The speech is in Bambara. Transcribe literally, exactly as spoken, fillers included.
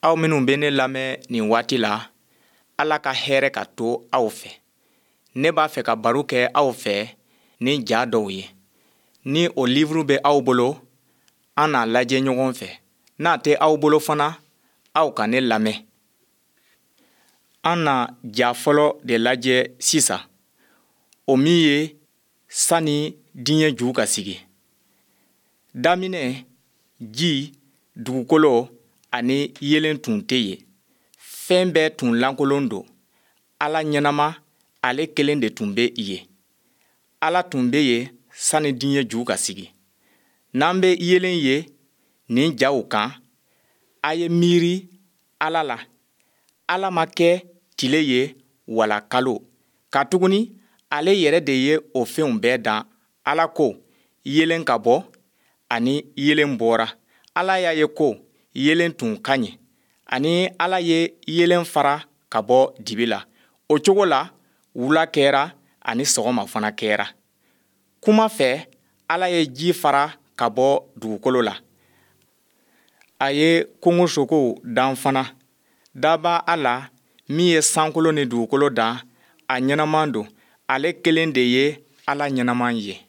Aw minnu bɛ ne lamɛn nin waati la, Ala ka hɛrɛ ka to aw fɛ. Ne b'a fɛ ka baro kɛ aw fɛ ni ja dɔw ye. Ni o livre bɛ aw bolo, an n'a lajɛ ɲɔgɔn fɛ. N'a tɛ aw bolo fana, aw ka ne lamɛn. An na ja fɔlɔ de lajɛ sisan, o min ye sani diɲɛ ju ka sigi. Daminɛ, ji, dugukolo ani yeelen tun tɛ yen. Fɛn bɛɛ tun lankolon don. Ala ɲɛnama, ale kelen de tun bɛ yen. Ala tun bɛ yen sani diɲɛ ju ka sigi. N'an bɛ yeelen ye nin jaw kan, a ye miiri Ala la. Ala ma kɛ tile ye wala kalo, katuguni ale yɛrɛ de ye o fɛnw bɛɛ dan. Ala ko, yeelen ka bɔ, ani yeelen bɔra. Ala y'a ye ko yeelen tun ka ɲi, ani Ala ye yeelen fara ka bɔ dibi la. O cogo la, wula kɛra ani sɔgɔma fana kɛra. Kuma fɛ, Ala ye ji fara ka bɔ dugukolo la. A ye kungosogow dan fana. Daba Ala min ye sankolo ni dugukolo dan, a ɲɛnama don. Ale kelen de ye Ala ɲɛnama ye.